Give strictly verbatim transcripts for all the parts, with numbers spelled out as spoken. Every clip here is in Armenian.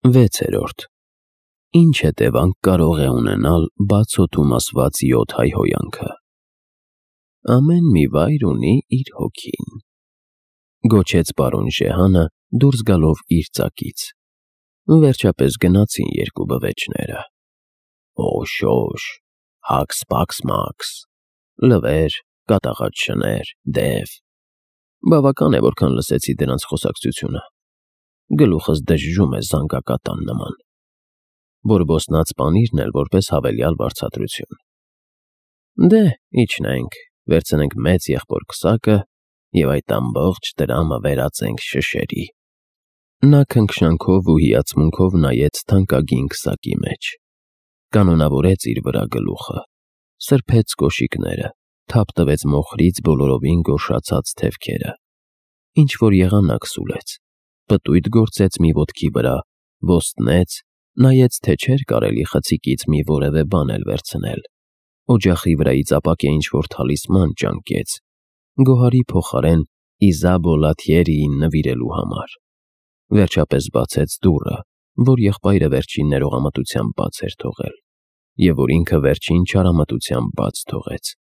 Վեցերորդ. Ինչ հետևանք կարող է ունենալ բաց օդում ասված յոթ հայհոյանքը։ Ամեն մի վայր ունի իր հոգին, գոչեց պարոն Ժեհանը դուրս գալով իր ծակից։ Վերջապես գնացին երկու բվեճները։ Օշ-օշ, հաքս-պաքս-մաքս, լվեր, կատաղած շներ, դև։ Բավական է, որքան լսեցի դրանց խոսակցությունը։ Գլուխս դժժում է զանգակատան նման։ Բորբոսնած պանիրն էլ որպես հավելյալ վարձատրություն։ Դե, իջնենք, վերցնենք մեծ եղբոր քսակը և այդ ամբողջ տրամը վերածենք շշերի։ Նա քնքշանքով ու հիացմունքով նայեց թանկագին քսակի մեջ, կանոնավորեց իր վրա գլուխը, սրբեց կոշիկները, թափ տվեց մոխրից բոլորովին գոշացած թևքերը, ինչ-որ եղանակ սուլեց, պտույտ գործեց մի ոտքի վրա, ոստնեց, նայեց, թե չէր կարելի խցիկից մի որևէ բան էլ վերցնել, օջախի վրայից ապակե ինչ-որ թալիսման ճանկեց, գոհարի փոխարեն Իզաբո Լաթիերիին նվիրելու համար։ Վերջապես բացեց դուռը, որ եղբայրը վերջին ներողամտությամբ բաց էր թողել, և որ ինքը վերջին չարամտությամբ բաց թողեց,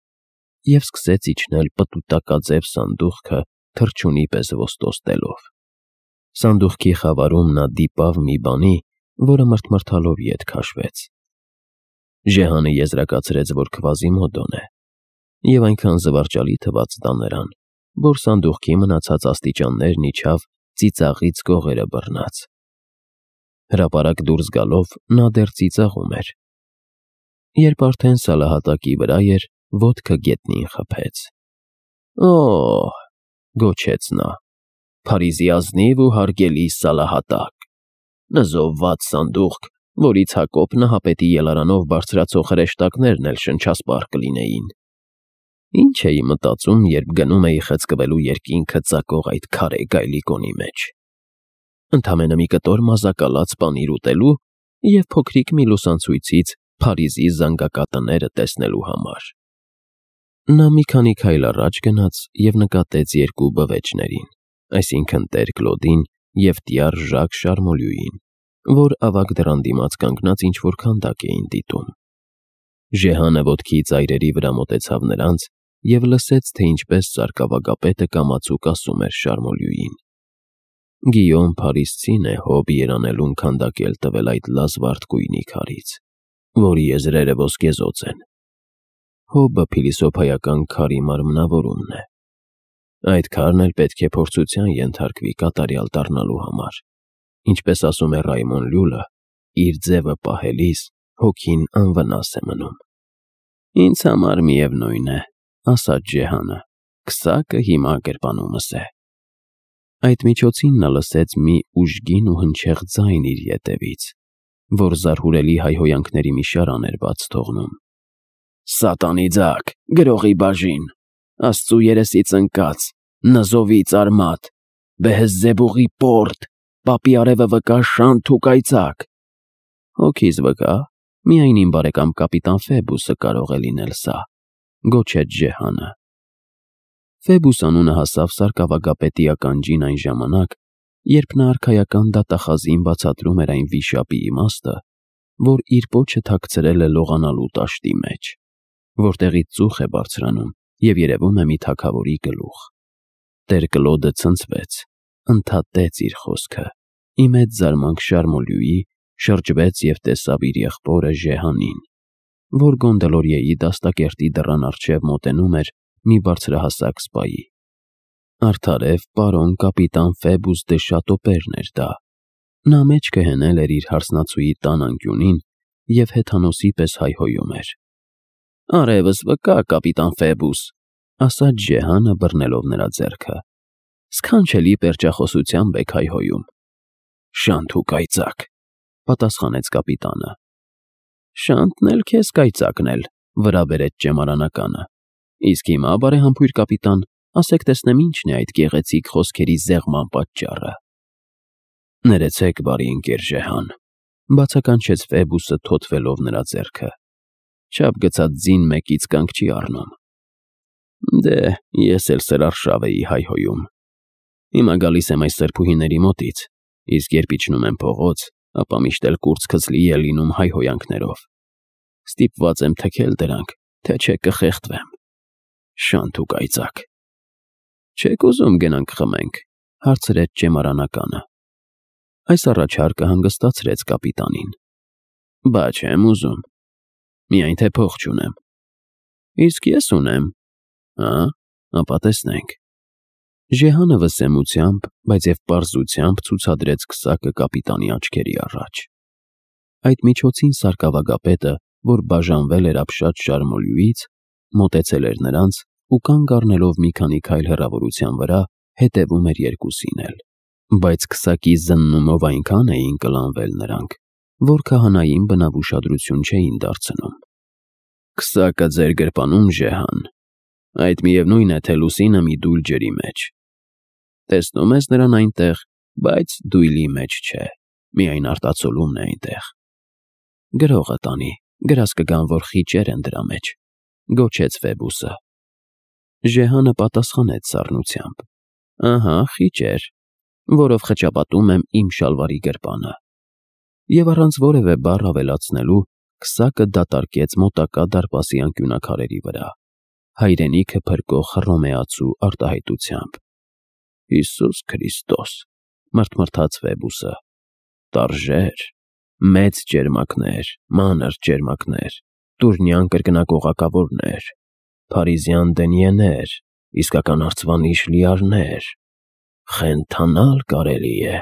և սկսեց իջնել պտուտակաձև սանդուղքը թռչունի պես ոստոստելով։ Սանդուղքի խավարում նա դիպավ մի բանի, որը մրթմրթալով ետ քաշվեց։ Ժեհանը եզրակացրեց, որ Քվազիմոդոն է, և այնքան զվարճալի թվաց դա նրան, որ սանդուղքի մնացած աստիճաններն իջավ ծիծաղից կողերը բռնած։ Հրապարակ դուրս գալով նա դեռ ծիծաղում էր, երբ արդեն սալահատակի վրա էր, ոտքը գետնին խփեց։ Օ՜հ, գոչեց նա, Փարիզի ազնիվ ու հարգելի սալահատակ, նզովված սանդուղք, որից Հակոբ նահապետի ելարանով բարձրացող հրեշտակներն էլ շնչասպառ կլինեին։ Ինչ էի մտածում, երբ գնում էի խցկվելու երկինքը ծակող այդ քարե գայլիկոնի մեջ։ Ընդամենը մի կտոր մազակալած պանիր ուտելու և փոքրիկ մի լուսանցույցից Փարիզի զանգակատները տեսնելու համար։ Նա մի քանի քայլ առաջ գնաց և նկատեց երկու բվեճներին, այսինքն տեր Կլոդին և տյար Ժակ Շարմոլյուին, որ ավագ դռան դիմաց կանգնած ինչ-որ քանդակ էին դիտում։ Ժեհանը ոտքի ծայրերի վրա մոտեցավ նրանց և լսեց, թե ինչպես սարկավագապետը կամացուկ ասում էր Շարմոլյուին. Գիյոմ Փարիզցին է հոբ երանելուն քանդակել տվել այդ լազվարդ գույնի քարից, որի եզրերը ոսկեզօծ են։ Հոբը փիլիսոփայական քարի մարմնավորումն է։ Այդ քարն էլ պետք է փորձության ենթարկվի կատարյալ դառնալու համար, ինչպես ասում է Ռայմոն Լյուլը, իր ձևը պահելիս հոգին անվնաս է մնում։ Ինձ համար միևնույն է, ասաց Ժեհանը, քսակը հիմա գրպանումս է։ Այդ միջոցին նա լսեց մի ուժգին ու հնչեղ ձայն իր ետևից, որ զարհուրելի հայհոյանքների մի շարան էր բաց թողնում։ Սատանի ձակ, գրողի բաժին, Աստծու երեսից ընկած, նզովի արմատ, Բեհեզզեբուղի պորտ, պապի արևը վկա շանթ ու կայծակ։ Հոգիս վկա, միայն իմ բարեկամ կապիտան Ֆեբուսը կարող է լինել սա, գոչեց Ժեհանը։ Ֆեբուս անունը հասավ սարկավագապետի ականջին այն ժամանակ, երբ նա արքայական դատախազին բացատրում էր այն վիշապի իմաստը, որ իր պոչը թաքցրել է լողանալու տաշտի մեջ, որտեղից ծուխ է բարձրանում և երևում է մի թագավորի գլուխ։ Տեր Կլոդը ցնցվեց, ընդհատեց իր խոսքը, ի մեծ զարմանք Շարմոլյուի, շրջվեց և տեսավ իր եղբորը Ժեհանին, որ Գոնդոլորիեի դաստակերտի դռան առջև մոտենում էր մի բարձրահասակ սպայի։ Արդարև պարոն կապիտան Ֆեբուս դե Շատոպերն էր դա։ Նա մեջքը հենել էր իր հարսնացուի տան անկյունին և հեթանոսի պես հայհոյում էր։ Արևս վկա, կապիտան Ֆեբուս, ասաց Ժեհանը բռնելով նրա ձեռքը։ Սքանչելի պերճախոսությամբ եք հայհոյում։ Շանթ ու կայծակ, պատասխանեց կապիտանը։ Շանթն էլ քեզ կայծակն էլ, վրա բերեց ճեմարանականը։ Իսկ հիմա, բարեհամբույր կապիտան, ասեք տեսնեմ ինչն է այդ գեղեցիկ խոսքերի զեղման պատճառը։ Ներեցեք, բարի ընկեր Ժեհան, բացականչեց Ֆեբուսը թոթվելով նրա ձեռքը։ Չափ գցած ձին մեկից կանգ չի առնում։ Դե, ես էլ սրարշավ էի հայհոյում։ Հիմա գալիս եմ այս սրբուհիների մոտից, իսկ երբ իջնում եմ փողոց, ապա միշտ էլ կուրծքս լի է լինում հայհոյանքներով։ Ստիպված եմ թքել դրանք, թե չէ կխեղդվեմ։ Շանթ ու կայծակ։ Չեք ուզում գնանք խմենք, հարցրեց ճեմարանականը։ Այս առաջարկը հանգստացրեց կապիտանին։ Բա չեմ ուզում, միայն թե փող չունեմ։ Իսկ ես ունեմ։ Հա, ապա տեսնենք։ Ժեհանը վսեմությամբ, բայց և պարզությամբ ցուցադրեց քսակը կապիտանի աչքերի առաջ։ Այդ միջոցին սարկավագապետը, որ բաժանվել էր ապշած շարմոլյուից, մոտեցել էր նրանց ու կանգ առնելով մի քանի քայլ հեռավորության վրա, հետևում էր երկուսին էլ, բայց քսակի զննումով այնքան էին կլանվել նրանք, որ քահանային բնավ ուշադրություն չէին դարձնում։ Քսակը ձեր գրպանում, Ժեհան, այդ միևնույն է, թե լուսինը մի դույլ ջրի մեջ։ Տեսնում ես նրան այնտեղ, բայց դույլի մեջ չէ, միայն արտացոլումն է այնտեղ։ Գրողը տանի, գրած կգան, որ խիճեր են դրա մեջ, գոչեց Ֆեբուսը։ Ժեհանը պատասխանեց սառնությամբ. Ահա, խիճեր, որով խճապատում եմ իմ շալվարի գրպանը։ Եվ առանց որևէ բառ ավելացնելու, քսակը դատարկեց մոտակա դարպասի անկյունաքարերի վրա, հայրենիքը փրկող հռոմեացու արտահայտությամբ։ Հիսուս Քրիստոս, մրթմրթաց Ֆեբուսը, տարժեր, մեծ ճերմակներ, մանր ճերմակներ, տուրնյան կրկնակողակավորներ, փարիզյան դենիեներ, իսկական արծվանիշ լիարներ, խենթանալ կարելի է։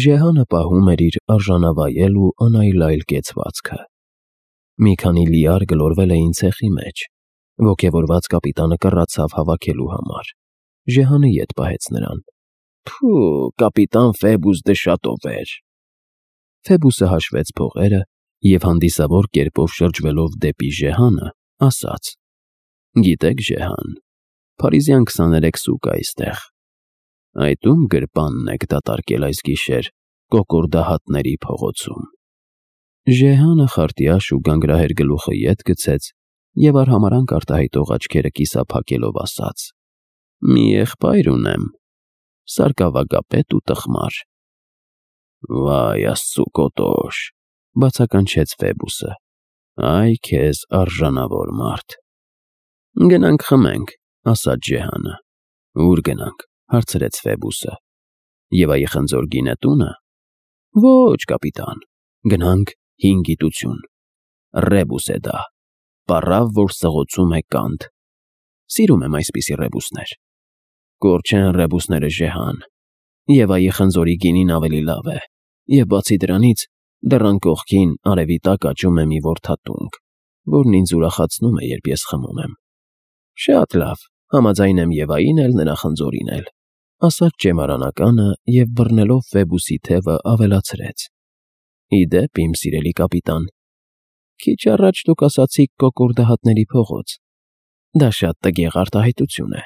Ժեհանը պահում էր իր արժանավայել ու անայլայլ կեցվածքը։ Մի քանի լիար գլորվել էին ցեխի մեջ, ոգևորված կապիտանը կռացավ հավաքելու համար։ Ժեհանը ետ պահեց նրան։ Փու, կապիտան Ֆեբուս դե շատ էր։ Ֆեբուսը հաշվեց փողերը և հանդիսավոր կերպով շրջվելով դեպի Ժեհանը, ասաց. Գիտեք, Ժեհան, փարիզյան քսաներեք սուկ է այստեղ։ Այդ ում գրպանն եք դատարկել այս գիշեր կոկորդահատների փողոցում։ Ժեհանը խարտյաշ ու գանգրահեր գլուխը ետ գցեց և արհամարհանք արտահայտող աչքերը կիսափակելով ասաց. Մի եղբայր ունեմ, սարկավագապետ ու տխմար։ Վայ Աստծու կոտոշ, բացականչեց Ֆեբուսը, այ քեզ արժանավոր մարդ։ Գնանք խմենք, ասաց Ժեհանը։ Ուր գնանք, հարցրեց Ֆեբուսը։ Եվ այ խնձոր գինը տունը։ Ոչ, կապիտան, գնանք հին գիտություն։ Ռեբուս է դա, պառավ, որ սղոցում է կանդ։ Սիրում եմ այսպիսի ռեբուսներ։ Կոր չեն ռեբուսները, Ժեհան, և այ խնձորի գինին ավելի լավ է, և բացի դրանից դեռ անկողքին արևի տակ աճում է մի որդատունգ, որն ինձ ուրախացնում է, երբ ես խմում եմ։ Շատ լավ, համաձայն եմ և այն էլ, նրա խնձորին էլ, ասաց ճեմարանականը և բռնելով Ֆեբուսի թևը ավելացրեց. Ի դեպ, իմ սիրելի կապիտան, քիչ առաջ դուք ասացիք կոկորդահատների փողոց։ Դա շատ տգեղ արտահայտություն է։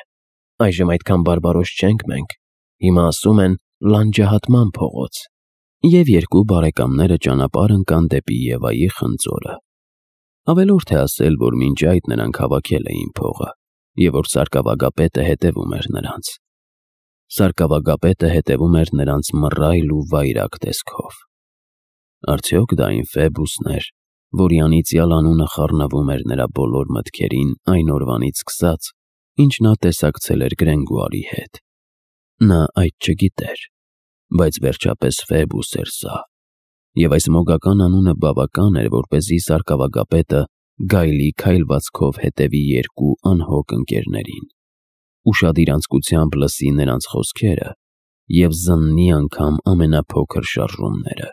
Այժմ այդքան բարբարոս չենք մենք, հիմա ասում են լանջահատման փողոց։ Եվ երկու բարեկամները ճանապարհ ընկան դեպի Եվայի խնձորը։ Ավելորդ է ասել, որ մինչ այդ նրանք հավաքել էին փողը, և որ սարկավագապետը հետևում էր նրանց։ Սարկավագապետը հետևում էր նրանց մռայլ ու վայրագ տեսքով։ Արդյոք դա այն Ֆեբուսն էր, որի անիծյալ անունը խառնվում էր նրա բոլոր մտքերին այն օրվանից սկսած, ինչ նա տեսակցել էր Գրենգուարի հետ։ Նա այդ չգիտեր, բայց վերջապես Ֆեբուս էր սա, և այս մոգական անունը բավական էր, որպեսզի սարկավագապետը գայլի քայլվածքով հետևի երկու անհոգ ընկերներին, ուշադիր անձկությամբ լսի նրանց խոսքերը և զննի անգամ ամենափոքր շարժումները։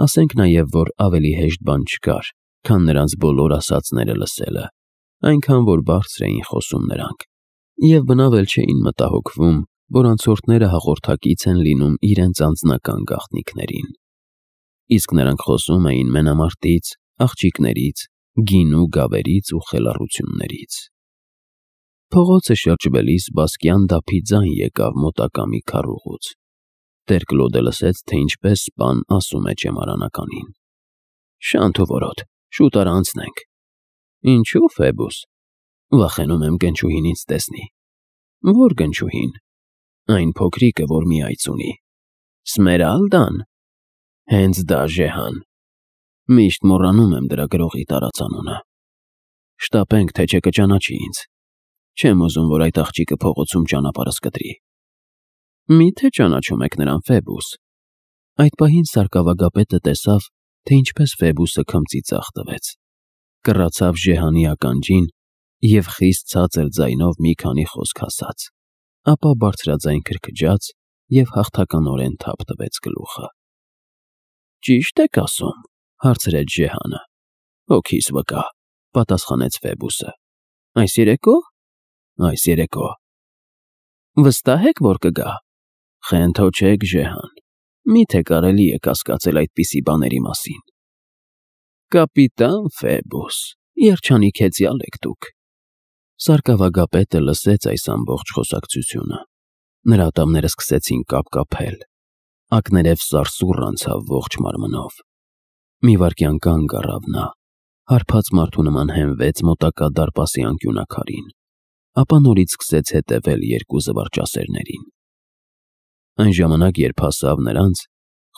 Ասենք նաև, որ ավելի հեշտ բան չկար, քան նրանց բոլոր ասածները լսելը, այնքան որ բարձր էին խոսում նրանք, և բնավ էլ չէին մտահոգվում, որ անցորդները հաղորդակից են լինում իրենց անձնական գաղտնիքներին։ Իսկ նրանք խոսում էին մենամարտից, աղջիկներից, գինու գավերից ու խելառություններից։ Փողոցը շրջվելիս բասկյան դափի ձայն եկավ մոտակա մի քառուղուց։ Տեր Կլոդը լսեց, թե ինչպես սպան ասում է ճեմարանականին. Շանթ ու որոտ, շուտ արա անցնենք։ Ինչու, Ֆեբուս։ Վախենում եմ գնչուհին ինձ տեսնի։ Ո՞ր գնչուհին։ Այն փոքրիկը, որ մի այծ ունի։ Սմերալդան, Հենց դա Ժեհան։ Միշտ մոռանում եմ դրա գրողի տարածանունը։ Շտապենք, թե չէ կճանաչի ինձ։ Չեմ ուզում, որ այդ աղջիկը փողոցում ճանապարհս կտրի։ Մի՞թե ճանաչում եք նրան, Ֆեբուս։ Այդ պահին սարկավագապետը տեսավ, թե ինչպես Ֆեբուսը քմծի ձախ տվեց, կռացավ Ժեհանի ականջին և խիստ ցածր ձայնով մի քանի խոսք ասաց, ապա բարձրաձայն քրքջաց և հաղթականորեն թափ տվեց գլուխը։ Ճի՞շտ եք ասում, հարցրեց Ժեհանը։ Հոգիս վկա, պատասխանեց Ֆեբուսը։ Այս երեկո՞։ Այս երեկո։ Վստահ եք, որ կգա։ Խենթոչեք, Ժեհան, միթե կարելի է կասկածել այդպիսի բաների մասին։ Կապիտան Ֆեբուս, երջանիկ հեծյալ եք դուք։ Սարկավագապետը լսեց այս ամբողջ խոսակցությունը։ Նրա ատամները սկսեցին կապկապել, ակներև սարսուռ անցավ ողջ մարմնով։ Մի վայրկյան կանգ առավ նա, հարբած մարդու նման հենվեց մոտակա դարպասի անկյունաքարին, ապա նորից սկսեց հետևել երկու զվարճասերներին։ Այն ժամանակ, երբ հասավ նրանց,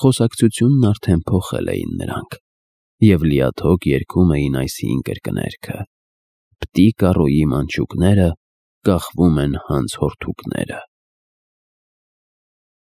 խոսակցությունն արդեն փոխել էին նրանք և լիաթոք երգում էին այս հին կրկներգը. Պտի կարոյի մանչուկները, կախվում են հանց հորթուկները։